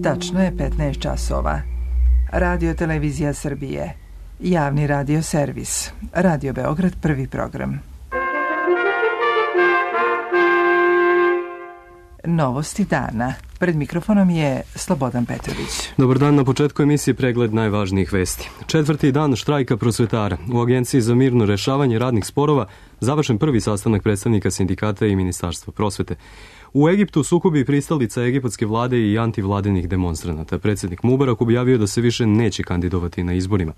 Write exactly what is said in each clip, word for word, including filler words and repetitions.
Tačno je petnaest časova. Radio Televizija Srbije. Javni radio servis. Radio Beograd, prvi program. Novosti dana. Pred mikrofonom je Slobodan Petrović. Dobar dan, na početku emisije pregled najvažnijih vesti. Četvrti dan štrajka prosvetara. U Agenciji za mirno rešavanje radnih sporova završen prvi sastanak predstavnika sindikata i Ministarstva prosvete. U Egiptu sukobi pristalica egipatske vlade i antivladenih demonstranata. Predsjednik Mubarak objavio da se više neće kandidovati na izborima.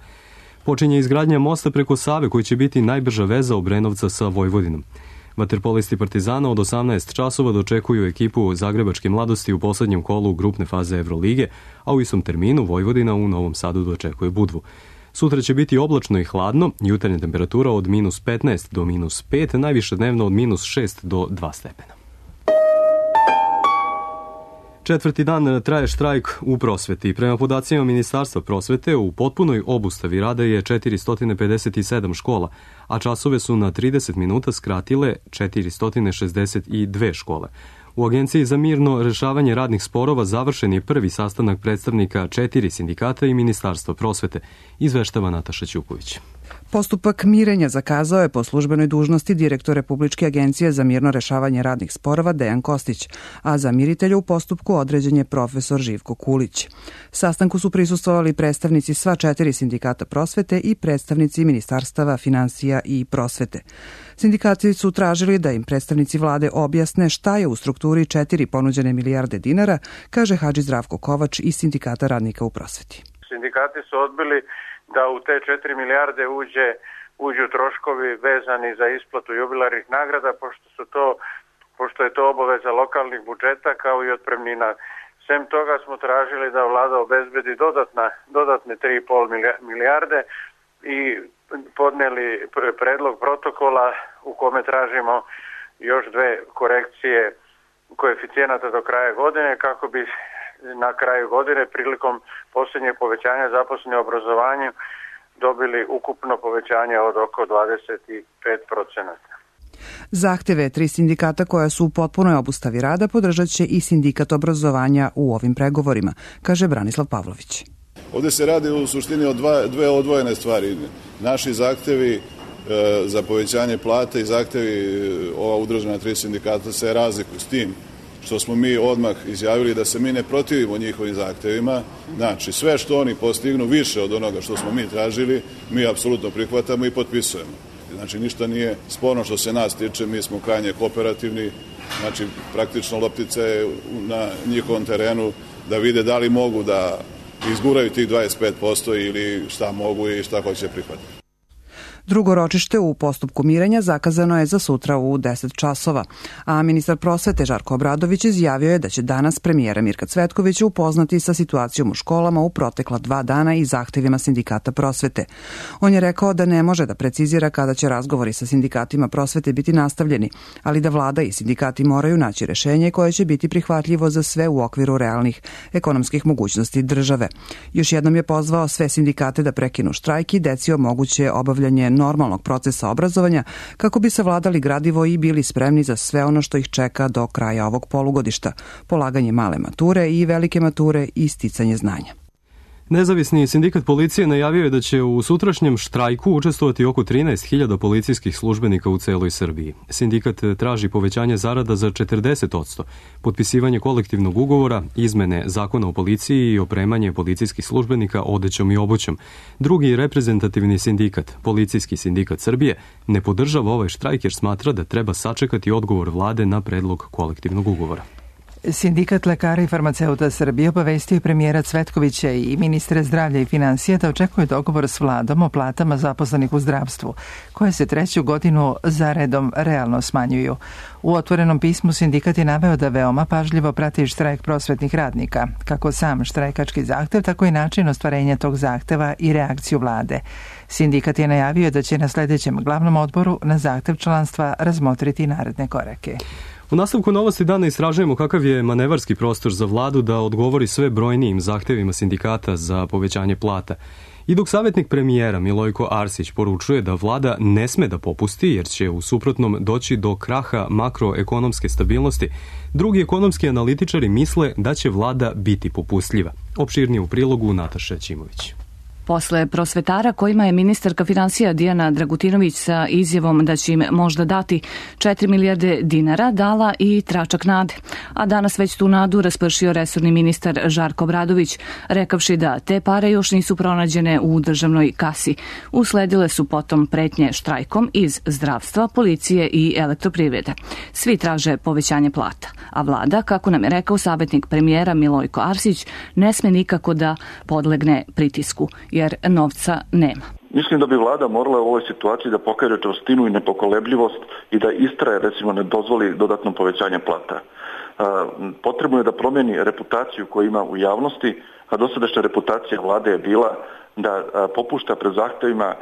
Počinje izgradnja mosta preko Save koji će biti najbrža veza Obrenovca sa Vojvodinom. Vaterpolisti Partizana od osamnaest časova dočekuju ekipu Zagrebačke mladosti u poslednjem kolu grupne faze Evrolige, a u istom terminu Vojvodina u Novom Sadu dočekuje Budvu. Sutra će biti oblačno i hladno, jutarnja temperatura od minus petnaest do minus pet, najviše dnevno od minus šest do dva stepena. Četvrti dan traje štrajk u prosveti. Prema podacima Ministarstva prosvete, u potpunoj obustavi rada je četiristo pedeset sedam škola, a časove su na trideset minuta skratile četiristo šezdeset dve škole. U Agenciji za mirno rešavanje radnih sporova završen je prvi sastanak predstavnika četiri sindikata i Ministarstva prosvete, izveštava Nataša Ćuković. Postupak mirenja zakazao je po službenoj dužnosti direktor Republičke agencije za mirno rešavanje radnih sporova Dejan Kostić, a za miritelja u postupku određen je profesor Živko Kulić. Sastanku su prisustvovali predstavnici sva četiri sindikata prosvete i predstavnici ministarstava finansija i prosvete. Sindikati su tražili da im predstavnici vlade objasne šta je u strukturi četiri ponuđene milijarde dinara, kaže Hadži Zdravko Kovač iz Sindikata radnika u prosveti. Sindikati su odbili da u te četiri milijarde uđe, uđu troškovi vezani za isplatu jubilarnih nagrada, pošto su to, pošto je to obaveza lokalnih budžeta kao i otpremnina. Sem toga smo tražili da vlada obezbedi dodatna, dodatne tri i pol milijarde i podneli predlog protokola u kome tražimo još dve korekcije koeficijenata do kraja godine kako bi na kraju godine prilikom posljednjeg povećanja zaposlenih u obrazovanju dobili ukupno povećanje od oko dvadeset pet procenata. Zahteve tri sindikata koja su u potpunoj obustavi rada podržat će i sindikat obrazovanja u ovim pregovorima, kaže Branislav Pavlović. Ovdje se radi u suštini o dva, dve odvojene stvari. Naši zahtevi e, za povećanje plate i zahtevi ova udružena tri sindikata se razlikuju s tim što smo mi odmah izjavili da se mi ne protivimo njihovim zahtevima. Znači, sve što oni postignu više od onoga što smo mi tražili, mi apsolutno prihvatamo i potpisujemo. Znači, ništa nije sporno što se nas tiče, mi smo krajnje kooperativni, znači, praktično loptica je na njihovom terenu da vide da li mogu da izguraju tih dvadeset pet posto ili šta mogu i šta hoće prihvatiti. Drugo ročište u postupku mirenja zakazano je za sutra u deset časova, a ministar prosvete Žarko Obradović izjavio je da će danas premijera Mirka Cvetkovića upoznati sa situacijom u školama u protekla dva dana i zahtevima sindikata prosvete. On je rekao da ne može da precizira kada će razgovori sa sindikatima prosvete biti nastavljeni, ali da vlada i sindikati moraju naći rešenje koje će biti prihvatljivo za sve u okviru realnih ekonomskih mogućnosti države. Još jednom je pozvao sve sindikate da prekinu štrajk i deci omoguće obavljanje normalnog procesa obrazovanja kako bi savladali gradivo i bili spremni za sve ono što ih čeka do kraja ovog polugodišta, polaganje male mature i velike mature i sticanje znanja. Nezavisni sindikat policije najavio je da će u sutrašnjem štrajku učestvovati oko trinaest hiljada policijskih službenika u celoj Srbiji. Sindikat traži povećanje zarada za četrdeset posto, potpisivanje kolektivnog ugovora, izmene zakona o policiji i opremanje policijskih službenika odećom i obućom. Drugi reprezentativni sindikat, Policijski sindikat Srbije, ne podržava ovaj štrajk jer smatra da treba sačekati odgovor vlade na predlog kolektivnog ugovora. Sindikat lekara i farmaceuta Srbije obavestio je premijera Cvetkovića i ministra zdravlja i finansija da očekuje dogovor s vladom o platama zaposlenih u zdravstvu, koje se treću godinu zaredom realno smanjuju. U otvorenom pismu sindikat je naveo da veoma pažljivo prati štrajk prosvetnih radnika, kako sam štrajkački zahtev, tako i način ostvarenja tog zahteva i reakciju vlade. Sindikat je najavio da će na sljedećem glavnom odboru na zahtev članstva razmotriti naredne korake. U nastavku novosti dana istražujemo kakav je manevarski prostor za vladu da odgovori sve brojnijim zahtevima sindikata za povećanje plata. I dok savjetnik premijera Milojko Arsić poručuje da vlada ne sme da popusti jer će u suprotnom doći do kraha makroekonomske stabilnosti, drugi ekonomski analitičari misle da će vlada biti popustljiva. Opširnije u prilogu Nataša Ćimović. Posle prosvetara kojima je ministarka finansija Dijana Dragutinović sa izjavom da će im možda dati četiri milijarde dinara dala i tračak nade. A danas već tu nadu raspršio resorni ministar Žarko Obradović, rekavši da te pare još nisu pronađene u državnoj kasi. Usledile su potom pretnje štrajkom iz zdravstva, policije i elektroprivrede. Svi traže povećanje plata, a vlada, kako nam je rekao savjetnik premijera Milojko Arsić, ne sme nikako da podlegne pritisku, jer novca nema. Mislim da bi vlada morala u ovoj situaciji da pokaže čvrstinu i nepokolebljivost i da istraje, recimo, ne dozvoli dodatno povećanje plata. Potrebno je da promijeni reputaciju koju ima u javnosti, a dosadašnja reputacija vlade je bila da popušta pred zahtevima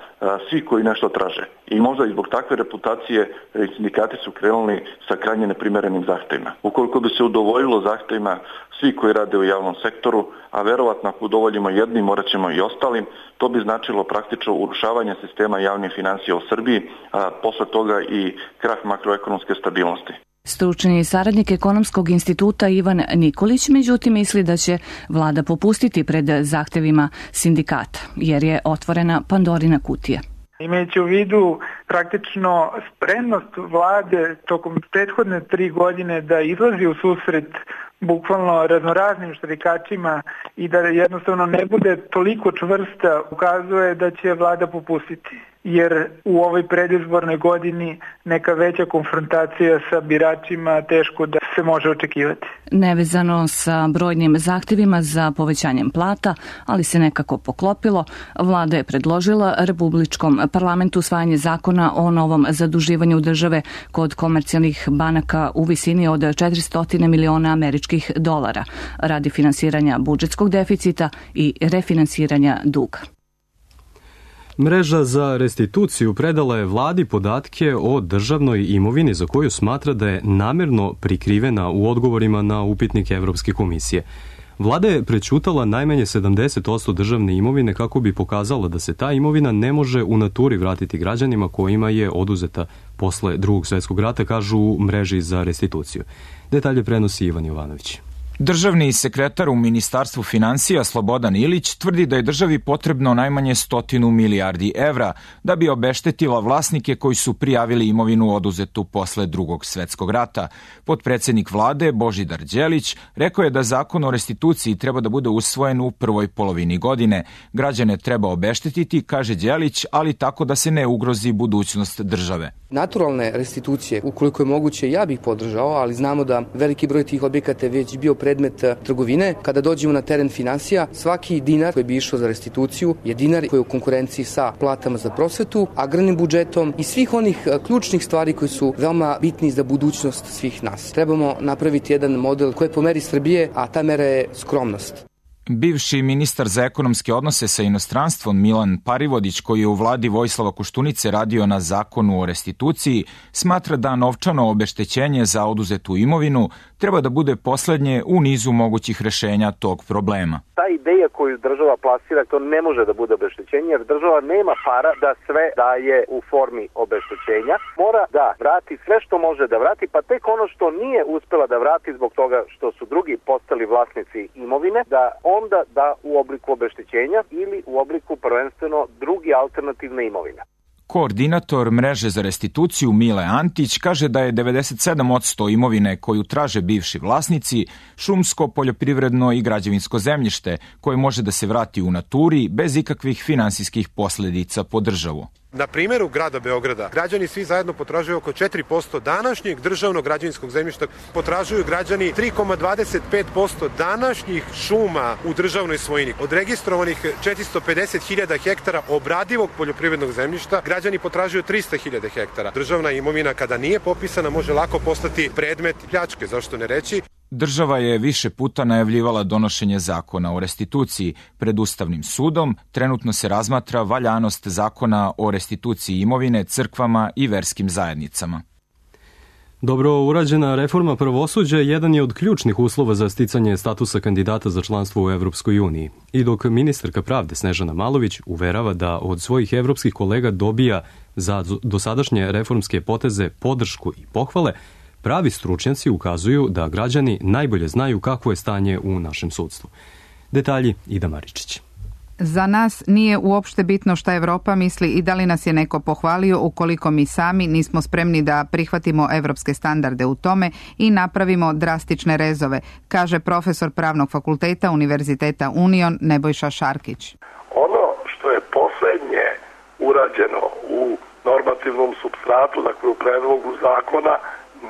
svi koji nešto traže. I možda i zbog takve reputacije sindikati su krenuli sa krajnje neprimerenim zahtevima. Ukoliko bi se udovoljilo zahtevima svi koji rade u javnom sektoru, a verovatno ako udovoljimo jednim, morat ćemo i ostalim, to bi značilo praktično urušavanje sistema javnih finansija u Srbiji, a posle toga i krah makroekonomske stabilnosti. Stručni saradnik Ekonomskog instituta Ivan Nikolić međutim misli da će vlada popustiti pred zahtevima sindikata, jer je otvorena Pandorina kutija. Imajući u vidu praktično spremnost vlade tokom prethodne tri godine da izlazi u susret bukvalno raznoraznim štrajkačima i da jednostavno ne bude toliko čvrsta, ukazuje da će vlada popustiti. Jer u ovoj predizbornoj godini neka veća konfrontacija sa biračima teško da se može očekivati. Nevezano sa brojnim zahtevima za povećanjem plata, ali se nekako poklopilo, vlada je predložila Republičkom parlamentu usvajanje zakona o novom zaduživanju države kod komercijalnih banaka u visini od četiristo miliona američkih dolara radi finansiranja budžetskog deficita i refinansiranja duga. Mreža za restituciju predala je vladi podatke o državnoj imovini za koju smatra da je namjerno prikrivena u odgovorima na upitnike Evropske komisije. Vlada je prećutala najmanje sedamdeset posto državne imovine kako bi pokazala da se ta imovina ne može u naturi vratiti građanima kojima je oduzeta posle Drugog svjetskog rata, kažu u mreži za restituciju. Detalje prenosi Ivan Jovanović. Državni sekretar u Ministarstvu finansija Slobodan Ilić tvrdi da je državi potrebno najmanje stotinu milijardi evra da bi obeštetila vlasnike koji su prijavili imovinu oduzetu posle Drugog svjetskog rata. Potpredsednik vlade Božidar Đelić rekao je da zakon o restituciji treba da bude usvojen u prvoj polovini godine. Građane treba obeštetiti, kaže Đelić, ali tako da se ne ugrozi budućnost države. Naturalne restitucije, ukoliko je moguće, ja bih podržao, ali znamo da veliki broj tih objekata je već bio predmet trgovine. Kada dođemo na teren finansija, svaki dinar koji bi išao za restituciju je dinar koji je u konkurenciji sa platama za prosvetu, agrarnim budžetom i svih onih ključnih stvari koji su veoma bitni za budućnost svih nas. Trebamo napraviti jedan model koji je po meri Srbije, a ta mera je skromnost. Bivši ministar za ekonomske odnose sa inostranstvom Milan Parivodić, koji je u vladi Vojislava Koštunice radio na zakonu o restituciji, smatra da novčano obeštećenje za oduzetu imovinu treba da bude poslednje u nizu mogućih rešenja tog problema. Ta ideja koju država plasira, to ne može da bude obeštećenje, jer država nema para da sve daje u formi obeštećenja. Mora da vrati sve što može da vrati, pa tek ono što nije uspela da vrati zbog toga što su drugi postali vlasnici imovine, da onda da u obliku obeštećenja ili u obliku prvenstveno drugi alternativne imovine. Koordinator mreže za restituciju Mile Antić kaže da je devedeset sedam posto imovine koju traže bivši vlasnici šumsko, poljoprivredno i građevinsko zemljište koje može da se vrati u naturi bez ikakvih finansijskih posledica po državu. Na primjeru grada Beograda građani svi zajedno potražuju oko četiri posto današnjeg državnog građevinskog zemljišta, potražuju građani tri zarez dvadeset pet posto današnjih šuma u državnoj svojini. Od registrovanih četiristo pedeset hiljada hektara obradivog poljoprivrednog zemljišta, građani potražuju trista hiljada hektara. Državna imovina kada nije popisana može lako postati predmet pljačke, zašto ne reći. Država je više puta najavljivala donošenje zakona o restituciji. Pred Ustavnim sudom trenutno se razmatra valjanost zakona o restituciji imovine crkvama i verskim zajednicama. Dobro urađena reforma pravosuđa jedan je od ključnih uslova za sticanje statusa kandidata za članstvo u Evropskoj uniji. I dok ministarka pravde Snežana Malović uverava da od svojih evropskih kolega dobija za dosadašnje reformske poteze podršku i pohvale, pravi stručnjaci ukazuju da građani najbolje znaju kakvo je stanje u našem sudstvu. Detalji Ida Maričić. Za nas nije uopšte bitno šta Evropa misli i da li nas je neko pohvalio ukoliko mi sami nismo spremni da prihvatimo evropske standarde u tome i napravimo drastične rezove, kaže profesor Pravnog fakulteta Univerziteta Union Nebojša Šarkić. Ono što je poslednje urađeno u normativnom supstratu, dakle u predlogu zakona,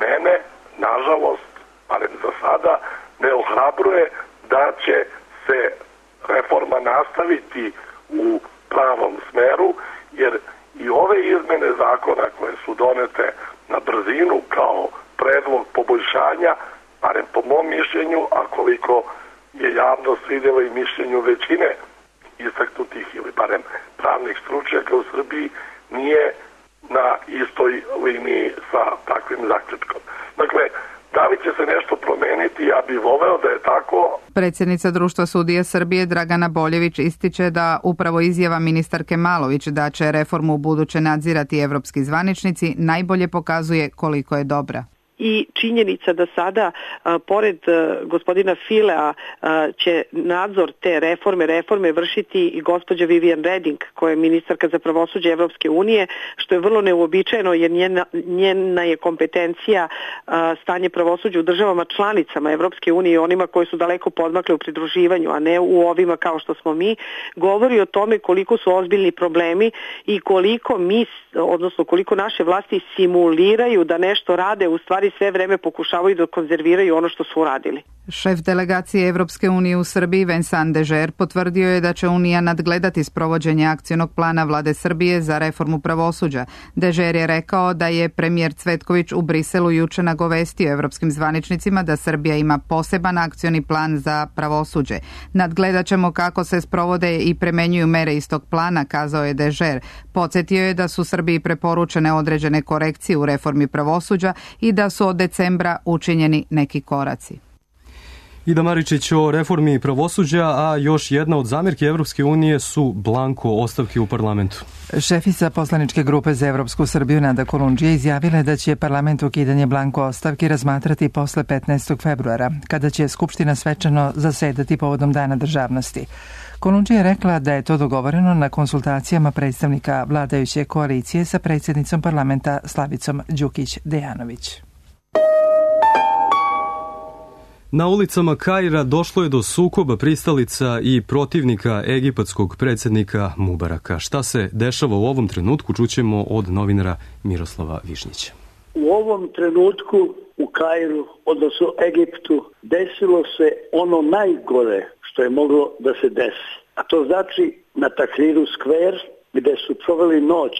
mene, nažalost, barem za sada, ne ohrabruje da će se reforma nastaviti u pravom smeru, jer i ove izmene zakona koje su donete na brzinu kao predlog poboljšanja, barem po mom mišljenju, a koliko je javnost vidjela i mišljenju većine istaknutih ili barem pravnih stručnjaka u Srbiji, nije na istoj liniji sa takvim zaključkom. Dakle, da li će se nešto promeniti, ja bih voleo da je tako. Predsjednica Društva sudija Srbije Dragana Boljević ističe da upravo izjava ministarke Malović da će reformu u buduće nadzirati evropski zvaničnici najbolje pokazuje koliko je dobra. I činjenica da sada, a, pored a, gospodina Filea, a, će nadzor te reforme, reforme vršiti i gospođa Vivian Reding, koja je ministarka za pravosuđe Evropske unije, što je vrlo neuobičajeno jer njena, njena je kompetencija a, stanje pravosuđa u državama članicama Evropske unije i onima koji su daleko podmakle u pridruživanju, a ne u ovima kao što smo mi, govori o tome koliko su ozbiljni problemi i koliko mi, odnosno koliko naše vlasti simuliraju da nešto rade, u stvari sve vreme pokušavaju da konzerviraju ono što su uradili. Šef delegacije Evropske unije u Srbiji Vincent Dežer potvrdio je da će Unija nadgledati sprovođenje akcionog plana vlade Srbije za reformu pravosuđa. Dežer je rekao da je premijer Cvetković u Briselu juče nagovestio evropskim zvaničnicima da Srbija ima poseban akcioni plan za pravosuđe. Nadgledat ćemo kako se sprovode i premenjuju mere iz tog plana, kazao je Dežer. Podsjetio je da su Srbiji preporučene određene korekcije u reformi pravosuđa i da su od decembra učinjeni neki koraci. Ida Maričić o reformi pravosuđa, a još jedna od zamjerki Evropske unije su blanko ostavke u parlamentu. Šefica poslaničke grupe za Evropsku Srbiju Nada Kolundžija izjavila da će parlament ukidanje blanko ostavki razmatrati posle petnaestog februara, kada će Skupština svečano zasedati povodom Dana državnosti. Kolundžija je rekla da je to dogovoreno na konsultacijama predstavnika vladajuće koalicije sa predsjednicom parlamenta Slavicom Đukić-Dejanović. Na ulicama Kaira došlo je do sukoba pristalica i protivnika egipatskog predsjednika Mubaraka. Šta se dešava u ovom trenutku, čućemo od novinara Miroslava Višnjića. U ovom trenutku u Kairu, odnosno Egiptu, desilo se ono najgore što je moglo da se desi. A to znači na Tahriru Square, gde su proveli noć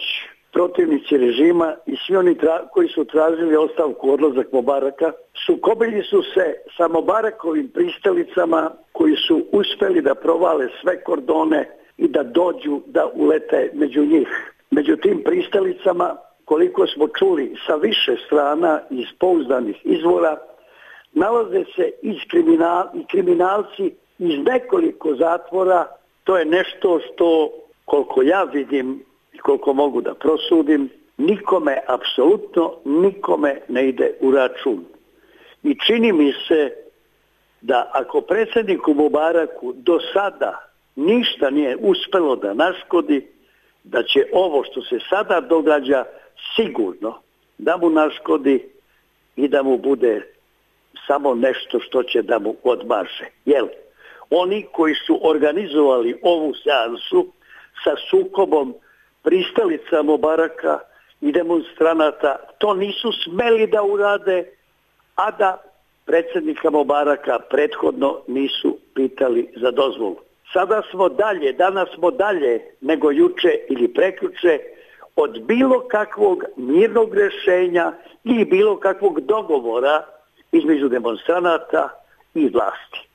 protivnici režima i svi oni tra- koji su tražili ostavku, odlazak Mubaraka, sukobili su se sa Mubarakovim pristalicama koji su uspeli da provale sve kordone i da dođu da ulete među njih. Među tim pristalicama, koliko smo čuli sa više strana iz pouzdanih izvora, nalaze se i kriminal, i kriminalci iz nekoliko zatvora. To je nešto što, koliko ja vidim i koliko mogu da prosudim, nikome, apsolutno nikome ne ide u račun. I čini mi se da ako predsjedniku Mubaraku do sada ništa nije uspelo da naškodi, da će ovo što se sada događa sigurno da mu naškodi i da mu bude samo nešto što će da mu odmaže. Jel, oni koji su organizovali ovu seansu sa sukobom pristalica Mubaraka i demonstranata, to nisu smeli da urade, a da predsjednika Mubaraka prethodno nisu pitali za dozvolu. Sada smo dalje, danas smo dalje nego juče ili prekjuče od bilo kakvog mirnog rješenja ili bilo kakvog dogovora između demonstranata i vlasti.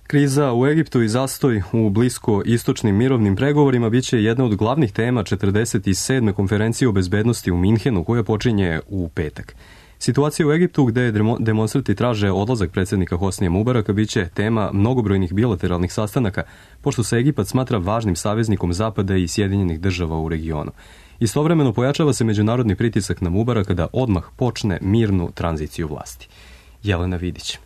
Kriza u Egiptu i zastoj u blisko-istočnim mirovnim pregovorima bit će jedna od glavnih tema četrdeset sedme konferencije o bezbednosti u Minhenu koja počinje u petak. Situacija u Egiptu gde demonstranti traže odlazak predsjednika Hosnija Mubaraka bit će tema mnogobrojnih bilateralnih sastanaka, pošto se Egipat smatra važnim saveznikom Zapada i Sjedinjenih država u regionu. Istovremeno pojačava se međunarodni pritisak na Mubaraka da odmah počne mirnu tranziciju vlasti. Jelena Vidić.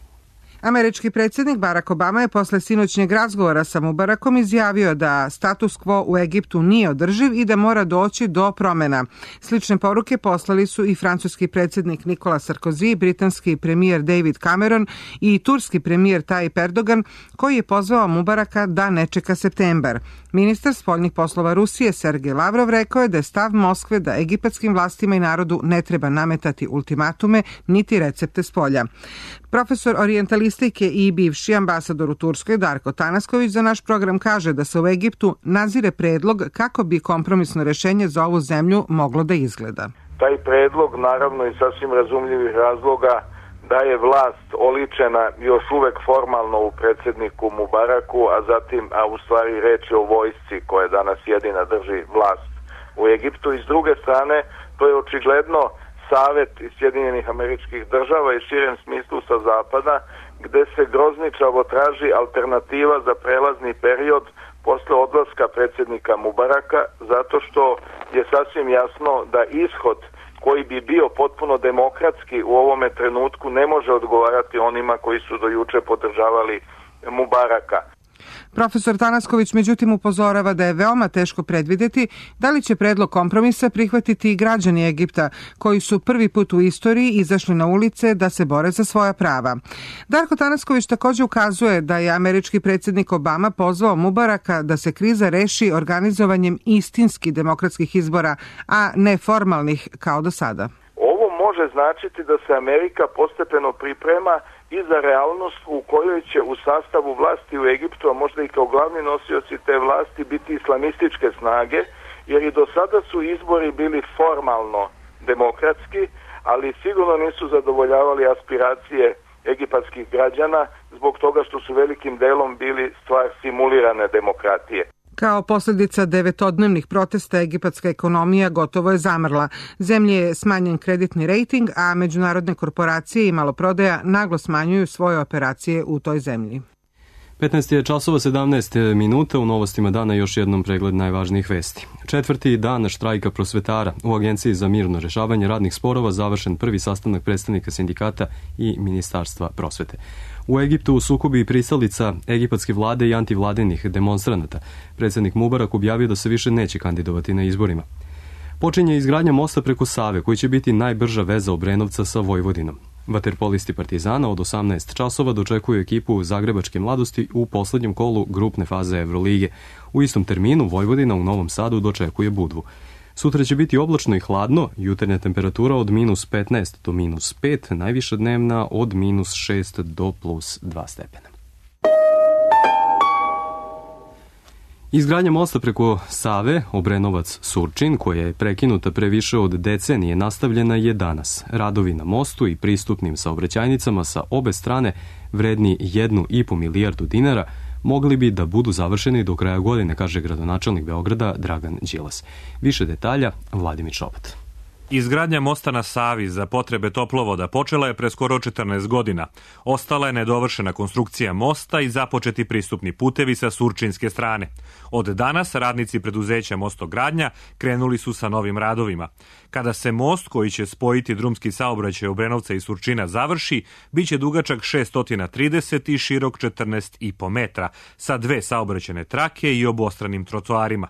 Američki predsjednik Barack Obama je posle sinoćnjeg razgovora sa Mubarakom izjavio da status quo u Egiptu nije održiv i da mora doći do promjena. Slične poruke poslali su i francuski predsjednik Nicolas Sarkozy, britanski premijer David Cameron i turski premijer Tayyip Erdogan, koji je pozvao Mubaraka da ne čeka septembar. Ministar spoljnih poslova Rusije Sergej Lavrov rekao je da je stav Moskve da egipatskim vlastima i narodu ne treba nametati ultimatume niti recepte spolja. Profesor orijentalistike i bivši ambasador u Turskoj Darko Tanasković za naš program kaže da se u Egiptu nazire predlog kako bi kompromisno rješenje za ovu zemlju moglo da izgleda. Taj predlog, naravno iz sasvim razumljivih razloga, da je vlast oličena još uvek formalno u predsjedniku Mubaraku, a zatim, a u stvari reč je o vojsci koja danas jedina drži vlast u Egiptu. I s druge strane, to je očigledno savet iz Sjedinjenih Američkih Država i širem smislu sa zapada, gde se grozničavo traži alternativa za prelazni period posle odlaska predsjednika Mubaraka, zato što je sasvim jasno da ishod koji bi bio potpuno demokratski u ovome trenutku ne može odgovarati onima koji su do juče podržavali Mubaraka. Profesor Tanasković međutim upozorava da je veoma teško predvidjeti da li će predlog kompromisa prihvatiti i građani Egipta, koji su prvi put u istoriji izašli na ulice da se bore za svoja prava. Darko Tanasković također ukazuje da je američki predsjednik Obama pozvao Mubaraka da se kriza reši organizovanjem istinski demokratskih izbora, a ne formalnih kao do sada. Ovo može značiti da se Amerika postepeno priprema i za realnost u kojoj će u sastavu vlasti u Egiptu, a možda i kao glavni nosioci te vlasti, biti islamističke snage, jer i do sada su izbori bili formalno demokratski, ali sigurno nisu zadovoljavali aspiracije egipatskih građana zbog toga što su velikim delom bili stvar simulirane demokratije. Kao posljedica devetodnevnih protesta egipatska ekonomija gotovo je zamrla. Zemlji je smanjen kreditni rejting, a međunarodne korporacije i maloprodaja naglo smanjuju svoje operacije u toj zemlji. petnaest je časova sedamnaest minuta, u novostima dana još jednom pregled najvažnijih vesti. Četvrti dan štrajka prosvetara u Agenciji za mirno rešavanje radnih sporova završen prvi sastanak predstavnika sindikata i Ministarstva prosvete. U Egiptu u sukobi pristalica egipatske vlade i antivladenih demonstranata. Predsjednik Mubarak objavio da se više neće kandidovati na izborima. Počinje izgradnja mosta preko Save, koji će biti najbrža veza Obrenovca sa Vojvodinom. Vaterpolisti Partizana od osamnaest časova dočekuju ekipu Zagrebačke mladosti u poslednjem kolu grupne faze Evrolige. U istom terminu Vojvodina u Novom Sadu dočekuje Budvu. Sutra će biti oblačno i hladno, jutarnja temperatura od minus petnaest do minus pet, najviša dnevna od minus šest do plus dva stepena. Izgradnja mosta preko Save, Obrenovac-Surčin, koja je prekinuta pre više od decenije, nastavljena je danas. Radovi na mostu i pristupnim saobraćajnicama sa obe strane, vredni jednu i po milijardu dinara, mogli bi da budu završeni do kraja godine, kaže gradonačelnik Beograda Dragan Đilas. Više detalja, Vladimir Šobat. Izgradnja mosta na Savi za potrebe toplovoda počela je pre skoro četrnaest godina. Ostala je nedovršena konstrukcija mosta i započeti pristupni putevi sa surčinske strane. Od danas radnici preduzeća Mostogradnja krenuli su sa novim radovima. Kada se most koji će spojiti drumski saobraćaj Obrenovca i Surčina završi, bit će dugačak šesto trideset i širok četrnaest i po metra, sa dve saobraćajne trake i obostranim trotoarima.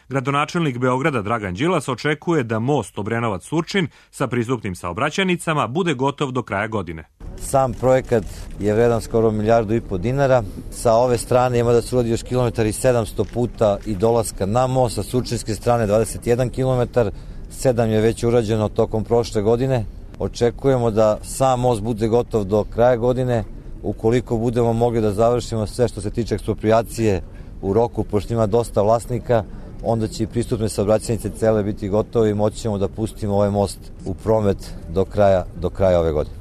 Gradonačelnik Beograda Dragan Đilas očekuje da most Obrenovac-Surčin sa pristupnim saobraćajnicama bude gotov do kraja godine. Sam projekat je vredan skoro milijardu i po dinara. Sa ove strane ima da se uradi još kilometar i sedamsto puta i dolaska na most, sa surčinske strane dvadeset jedan kilometar, sedam je već urađeno tokom prošle godine. Očekujemo da sam most bude gotov do kraja godine, ukoliko budemo mogli da završimo sve što se tiče eksproprijacije u roku, pošto ima dosta vlasnika, onda će i pristupne saobraćajnice cele biti gotove i moći ćemo da pustimo ovaj most u promet do kraja, do kraja ove godine.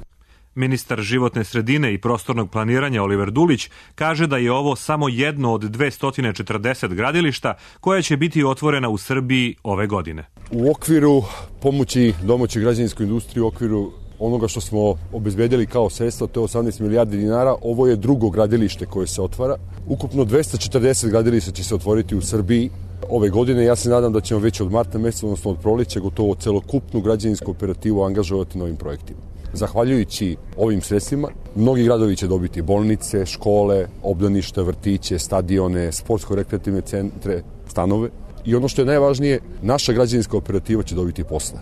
Ministar životne sredine i prostornog planiranja Oliver Dulić kaže da je ovo samo jedno od dvesta četrdeset gradilišta koja će biti otvorena u Srbiji ove godine. U okviru pomoći domaćoj građevinskoj industriji, u okviru onoga što smo obezbedili kao sredstva, to je osamnaest milijardi dinara, ovo je drugo gradilište koje se otvara. Ukupno dvesta četrdeset gradilišta će se otvoriti u Srbiji ove godine. Ja se nadam da ćemo već od marta meseca, odnosno od proleća, gotovo celokupnu građevinsku operativu angažovati na ovim projektima. Zahvaljujući ovim sredstvima, mnogi gradovi će dobiti bolnice, škole, obdaništa, vrtiće, stadione, sportsko-rekreativne centre, stanove. I ono što je najvažnije, naša građevinska operativa će dobiti posla.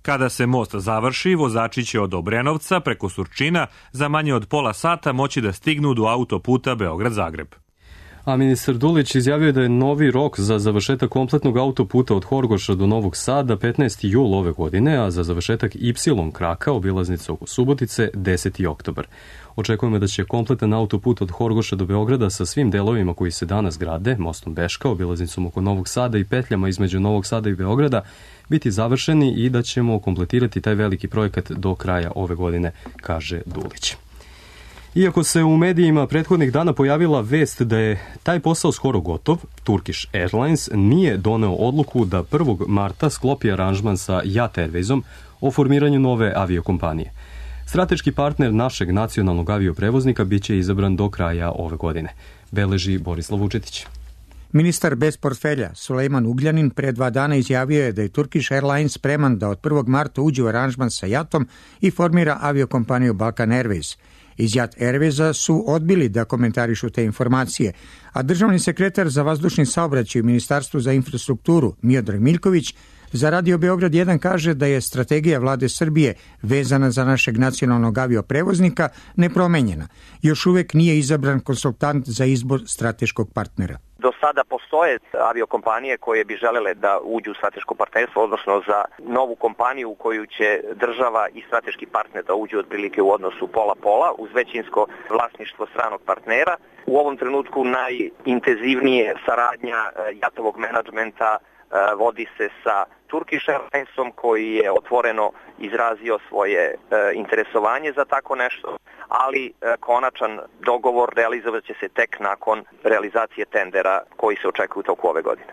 Kada se most završi, vozači će od Obrenovca preko Surčina za manje od pola sata moći da stignu do autoputa Beograd-Zagreb. A ministar Dulić izjavio da je novi rok za završetak kompletnog autoputa od Horgoša do Novog Sada petnaesti jul ove godine, a za završetak Y kraka, obilaznice oko Subotice, deseti oktobar. Očekujemo da će kompletan autoput od Horgoša do Beograda sa svim delovima koji se danas grade, mostom Beška, obilaznicom oko Novog Sada i petljama između Novog Sada i Beograda, biti završeni i da ćemo kompletirati taj veliki projekat do kraja ove godine, kaže Dulić. Iako se u medijima prethodnih dana pojavila vest da je taj posao skoro gotov, Turkish Airlines nije doneo odluku da prvog marta sklopi aranžman sa Yat Airwaysom o formiranju nove aviokompanije. Strateški partner našeg nacionalnog avioprevoznika biće izabran do kraja ove godine, beleži Borislav Vučetić. Ministar bez portfelja Sulejman Ugljanin pre dva dana izjavio je da je Turkish Airlines spreman da od prvog marta uđe u aranžman sa Jatom i formira aviokompaniju Balkan Airways. Iz Yat Airwaysa su odbili da komentarišu te informacije, a državni sekretar za vazdušni saobraćaj u Ministarstvu za infrastrukturu Miodrag Miljković za Radio Beograd jedan kaže da je strategija vlade Srbije vezana za našeg nacionalnog avioprevoznika nepromenjena. Još uvek nije izabran konsultant za izbor strateškog partnera. Do sada postoje aviokompanije koje bi želele da uđu u strateško partnerstvo, odnosno za novu kompaniju u koju će država i strateški partner da uđu otprilike u odnosu pola-pola uz većinsko vlasništvo stranog partnera. U ovom trenutku najintenzivnije saradnja Jatovog menadžmenta vodi se sa Turkish Airlinesom koji je otvoreno izrazio svoje e, interesovanje za tako nešto, ali e, konačan dogovor realizovat će se tek nakon realizacije tendera koji se očekuju u toku ove godine.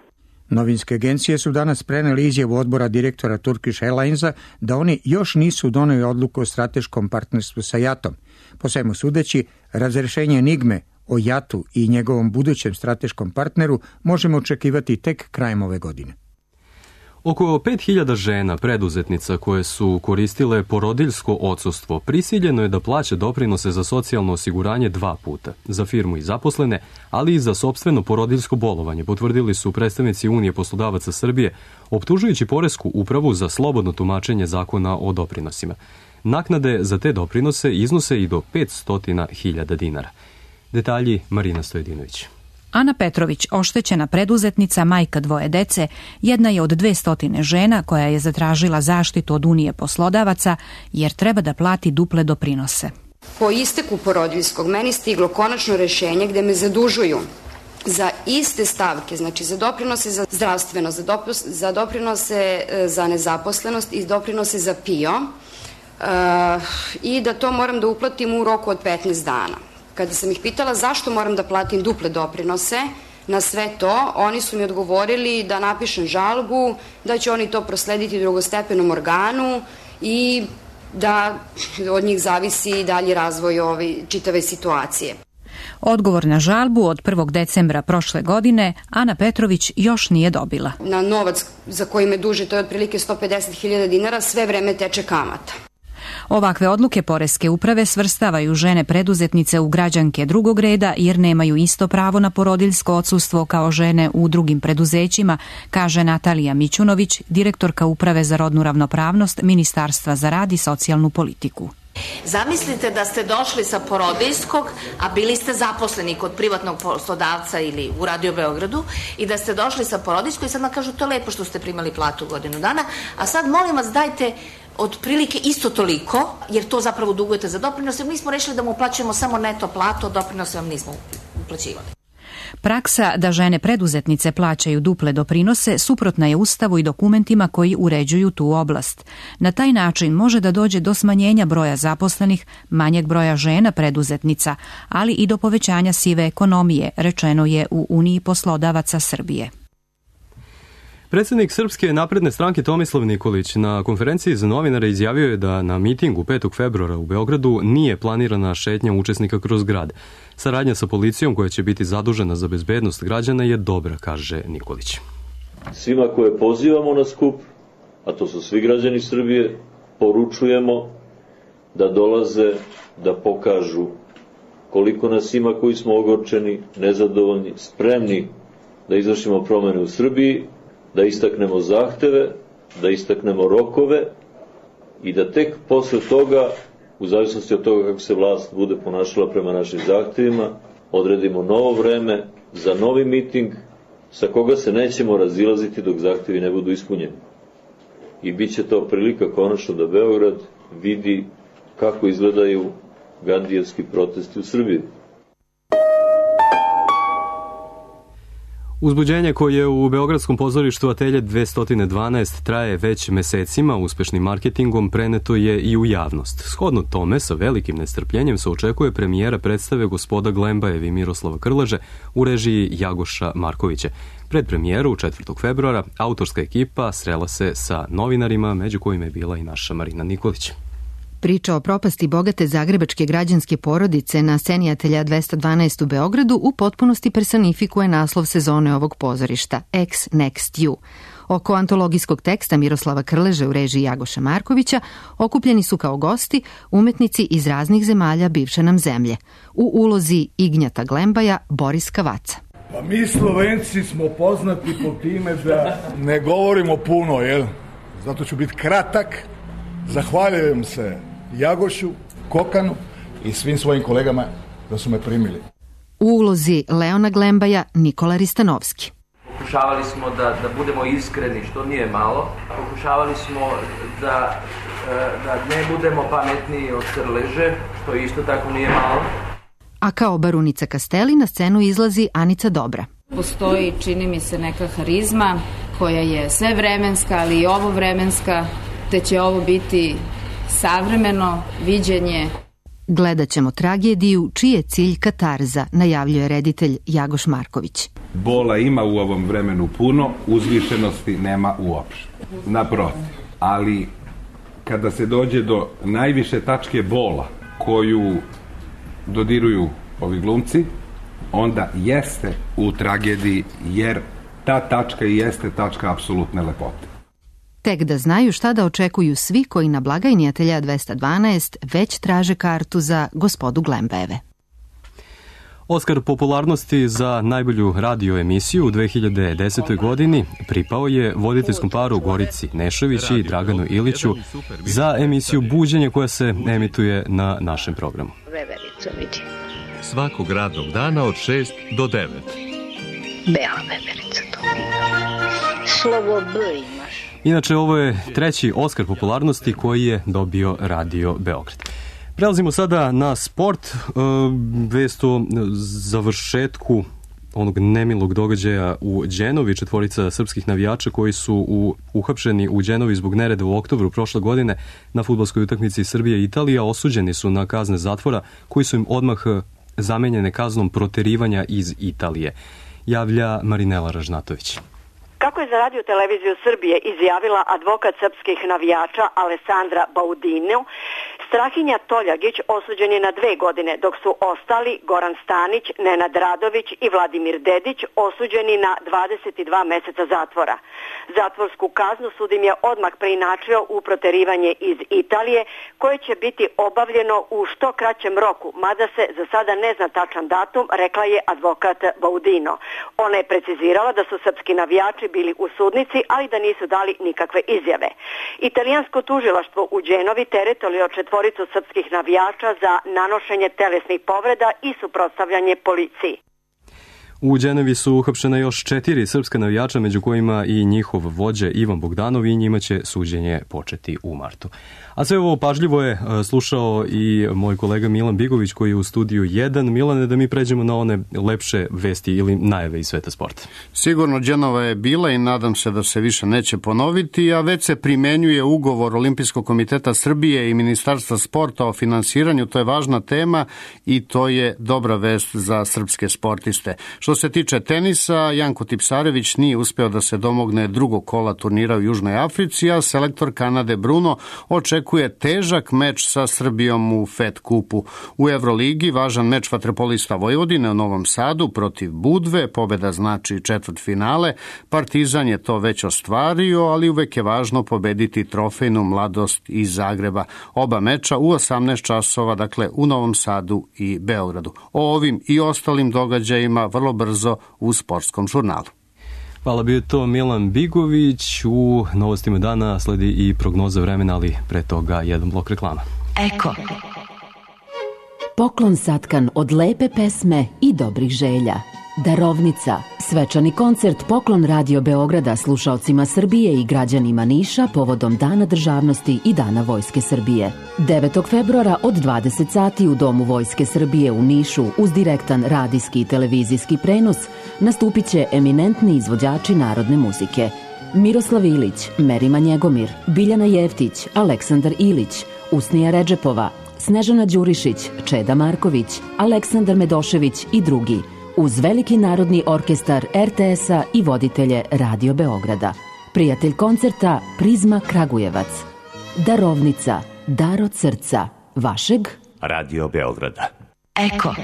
Novinske agencije su danas preneli izjavu odbora direktora Turkish Airlinesa da oni još nisu doneli odluku o strateškom partnerstvu sa Jatom. Po svemu sudeći, razrešenje enigme o Jatu i njegovom budućem strateškom partneru možemo očekivati tek krajem ove godine. Oko pet hiljada žena preduzetnica koje su koristile porodiljsko odsustvo prisiljeno je da plaća doprinose za socijalno osiguranje dva puta, za firmu i zaposlene, ali i za sopstveno porodiljsko bolovanje, potvrdili su predstavnici Unije poslodavaca Srbije, optužujući poresku upravu za slobodno tumačenje zakona o doprinosima. Naknade za te doprinose iznose i do petsto hiljada dinara. Detalji Marina Stojedinović. Ana Petrović, oštećena preduzetnica, majka dvoje dece, jedna je od dvestotine žena koja je zatražila zaštitu od Unije poslodavaca jer treba da plati duple doprinose. Po isteku porodiljskog meni stiglo konačno rešenje gde me zadužuju za iste stavke, znači za doprinose za zdravstveno, za, dopus, za doprinose za nezaposlenost i doprinose za P I O uh, i da to moram da uplatim u roku od petnaest dana. Kada sam ih pitala zašto moram da platim duple doprinose na sve to, oni su mi odgovorili da napišem žalbu, da će oni to proslediti drugostepenom organu i da od njih zavisi dalji razvoj ove čitave situacije. Odgovor na žalbu od prvog decembra prošle godine Ana Petrović još nije dobila. Na novac za koji me duže, to je otprilike sto pedeset hiljada dinara, sve vreme teče kamata. Ovakve odluke poreske uprave svrstavaju žene preduzetnice u građanke drugog reda jer nemaju isto pravo na porodiljsko odsustvo kao žene u drugim preduzećima, kaže Natalija Mićunović, direktorka Uprave za rodnu ravnopravnost Ministarstva za rad i socijalnu politiku. Zamislite da ste došli sa porodiljskog, a bili ste zaposleni kod privatnog poslodavca ili u Radio Beogradu i da ste došli sa porodiljskog i sad nam kažu to je lepo što ste primali platu godinu dana, a sad molim vas dajte otprilike isto toliko, jer to zapravo dugujete za doprinose. Mi smo rešili da mu uplaćujemo samo neto platu, doprinose vam nismo uplaćivali. Praksa da žene preduzetnice plaćaju duple doprinose suprotna je Ustavu i dokumentima koji uređuju tu oblast. Na taj način može da dođe do smanjenja broja zaposlenih, manjeg broja žena preduzetnica, ali i do povećanja sive ekonomije, rečeno je u Uniji poslodavaca Srbije. Predsjednik Srpske napredne stranke Tomislav Nikolić na konferenciji za novinare izjavio je da na mitingu petog februara u Beogradu nije planirana šetnja učesnika kroz grad. Saradnja sa policijom koja će biti zadužena za bezbednost građana je dobra, kaže Nikolić. Svima koje pozivamo na skup, a to su svi građani Srbije, poručujemo da dolaze da pokažu koliko nas ima koji smo ogorčeni, nezadovoljni, spremni da izvršimo promene u Srbiji, da istaknemo zahteve, da istaknemo rokove i da tek posle toga, u zavisnosti od toga kako se vlast bude ponašala prema našim zahtevima, odredimo novo vreme za novi miting sa koga se nećemo razilaziti dok zahtevi ne budu ispunjeni. I bit će to prilika konačno da Beograd vidi kako izgledaju gandijevski protesti u Srbiji. Uzbuđenje koje u Beogradskom pozorištu Atelje dvesta dvanaest traje već mesecima, uspešnim marketingom preneto je i u javnost. Shodno tome, sa velikim nestrpljenjem se očekuje premijera predstave Gospoda Glembajev i Miroslava Krleže u režiji Jagoša Markovića. Pred premijeru četvrtog februara autorska ekipa srela se sa novinarima, među kojima je bila i naša Marina Nikolić. Priča o propasti bogate zagrebačke građanske porodice na sceni Atelja dvesta dvanaest u Beogradu u potpunosti personifikuje naslov sezone ovog pozorišta, Ex Next You. Oko antologijskog teksta Miroslava Krleže u režiji Jagoša Markovića okupljeni su kao gosti umetnici iz raznih zemalja bivše nam zemlje. U ulozi Ignjata Glembaja Boris Kavaca. Pa mi Slovenci smo poznati po time da ne govorimo puno, jel? Zato ću biti kratak. Zahvaljujem se Jagošu, Kokanu i svim svojim kolegama da su me primili. U ulozi Leona Glembaja Nikola Ristanovski. Pokušavali smo da, da budemo iskreni, što nije malo. Pokušavali smo da, da ne budemo pametniji od Krleže, što isto tako nije malo. A kao barunica Kasteli na scenu izlazi Anica Dobra. Postoji, čini mi se, neka harizma koja je sve vremenska, ali i ovo vremenska, te će ovo biti savremeno viđenje. Gledat ćemo tragediju čiji je cilj katarza, najavljuje reditelj Jagoš Marković. Bola ima u ovom vremenu puno, uzvišenosti nema uopšte. Naprotiv, ali kada se dođe do najviše tačke bola koju dodiruju ovi glumci, onda jeste u tragediji, jer ta tačka i jeste tačka apsolutne lepote. Tek da znaju šta da očekuju svi koji na blagajni Atelja dvesta dvanaest već traže kartu za Gospodu Glembajeve. Oskar popularnosti za najbolju radio emisiju u dve hiljade desetoj. godini pripao je voditeljskom paru Gorici Nešović i Draganu Iliću za emisiju Buđenje koja se emituje na našem programu. Veverica vidi. Svakog radnog dana od šest do devet. Bela veverica to vidi. Slovo B imaš. Inače, ovo je treći Oskar popularnosti koji je dobio Radio Beograd. Prelazimo sada na sport, vest o završetku onog nemilog događaja u Đenovi. Četvorica srpskih navijača koji su u, uhapšeni u Đenovi zbog nereda u oktobru prošle godine na fudbalskoj utakmici Srbija i Italija osuđeni su na kazne zatvora koji su im odmah zamenjene kaznom proterivanja iz Italije. Javlja Marinela Ražnatović. Kako je za Radio televiziju Srbije izjavila advokat srpskih navijača Alessandra Baudinu, Strahinja Toljagić osuđen je na dve godine, dok su ostali Goran Stanić, Nenad Radović i Vladimir Dedić osuđeni na dvadeset dva meseca zatvora. Zatvorsku kaznu sud im je odmah preinačio u proterivanje iz Italije, koje će biti obavljeno u što kraćem roku, mada se za sada ne zna tačan datum, rekla je advokat Baudino. Ona je precizirala da su srpski navijači bili u sudnici, ali da nisu dali nikakve izjave. Italijansko tužilaštvo u Đenovi teretilo je četvoricu srpskih navijača za nanošenje telesnih povreda i suprotstavljanje policiji. U Đenovi su uhapšena još četiri srpska navijača, među kojima i njihov vođa Ivan Bogdanov, i njima će suđenje početi u martu. A sve ovo pažljivo je slušao i moj kolega Milan Bigović koji je u studiju jedan. Milane, da mi pređemo na one lepše vesti ili najave iz sveta sporta. Sigurno Đenova je bila i nadam se da se više neće ponoviti, a već se primenjuje ugovor Olimpijskog komiteta Srbije i Ministarstva sporta o finansiranju. To je važna tema i to je dobra vest za srpske sportiste. Što Što se tiče tenisa, Janko Tipsarević nije uspeo da se domogne drugog kola turnira u Južnoj Africi, a selektor Kanade Bruno očekuje težak meč sa Srbijom u Fed kupu. U Evroligi važan meč vaterpolista Vojvodine u Novom Sadu protiv Budve, pobeda znači četvrtfinale. Partizan je to već ostvario, ali uvek je važno pobediti trofejnu Mladost iz Zagreba. Oba meča u osamnaest časova, dakle u Novom Sadu i Beogradu. O ovim i ostalim događajima vrlo brzo u Sportskom žurnalu. Hvala, bio je to Milan Bigović. U novostima dana sledi i prognoza vremena, ali pre toga jedan blok reklama. Eko. Poklon satkan od lepe pesme i dobrih želja. Darovnica, svečani koncert Poklon Radio Beograda slušaocima Srbije i građanima Niša povodom Dana državnosti i Dana Vojske Srbije. devetog februara od dvadeset sati u Domu Vojske Srbije u Nišu uz direktan radijski i televizijski prenos nastupit će eminentni izvođači narodne muzike. Miroslav Ilić, Merima Njegomir, Biljana Jeftić, Aleksandar Ilić, Usnija Redžepova, Snežana Đurišić, Čeda Marković, Aleksandar Medošević i drugi, uz veliki narodni orkestar er te es-a i voditelje Radio Beograda. Prijatelj koncerta Prizma Kragujevac. Darovnica, dar od srca, vašeg Radio Beograda. Eko.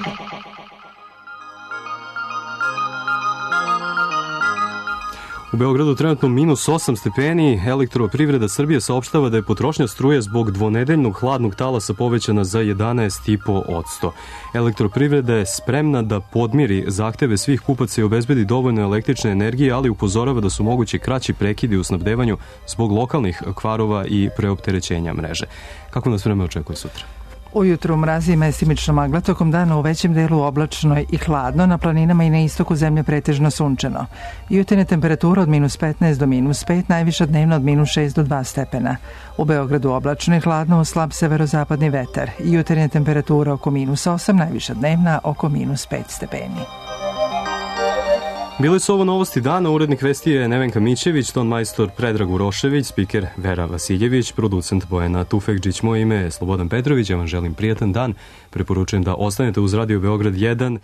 U Beogradu trenutno minus osam stepeni. Elektroprivreda Srbije saopštava da je potrošnja struje zbog dvonedeljnog hladnog talasa povećana za jedanaest zarez pet posto. Elektroprivreda je spremna da podmiri zahteve svih kupaca i obezbedi dovoljno električne energije, ali upozorava da su mogući kraći prekidi u snabdevanju zbog lokalnih kvarova i preopterećenja mreže. Kako nas vreme očekuje sutra? Ujutru mrazi i mestimično magla, tokom dana u većem delu oblačno i hladno, na planinama i na istoku zemlje pretežno sunčano. Jutarnja temperatura od minus petnaest do minus pet, najviša dnevna od minus šest do dva stepena. U Beogradu oblačno i hladno, uz slab severozapadni vetar. Jutarnja temperatura oko minus osam, najviša dnevna oko minus pet stepeni. Bile su ovo novosti dana, urednik vesti je Nevenka Mićević, ton majstor Predrag Urošević, spiker Vera Vasiljević, producent Bojana Tufekđić, moje ime je Slobodan Petrović, ja vam želim prijatan dan, preporučujem da ostanete uz Radio Beograd jedan